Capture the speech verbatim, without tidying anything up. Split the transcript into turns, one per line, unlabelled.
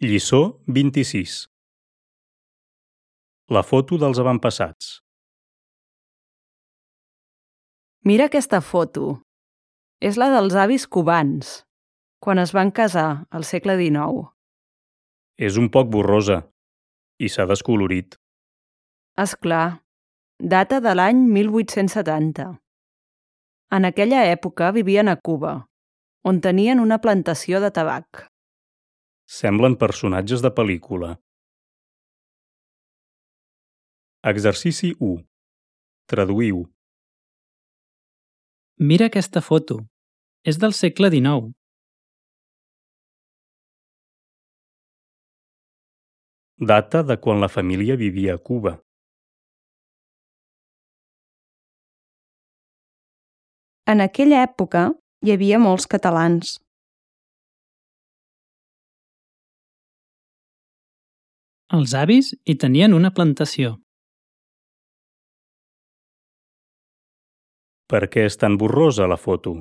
Lliçó vint-i-sis. La foto dels avantpassats.
Mira aquesta foto. És la dels avis cubans, quan es van casar al segle dinou.
És un poc borrosa i s'ha descolorit.
És clar, data de l'any mil vuit-cents setanta. En aquella època vivien a Cuba, on tenien una plantació de tabac.
Semblen personatges de pel·lícula. Exercici u. Traduïu.
Mira aquesta foto. És del segle dinou.
Data de quan la família vivia a Cuba.
En aquella època hi havia molts catalans.
Els avis hi tenien una plantació.
Per què és tan borrosa la foto?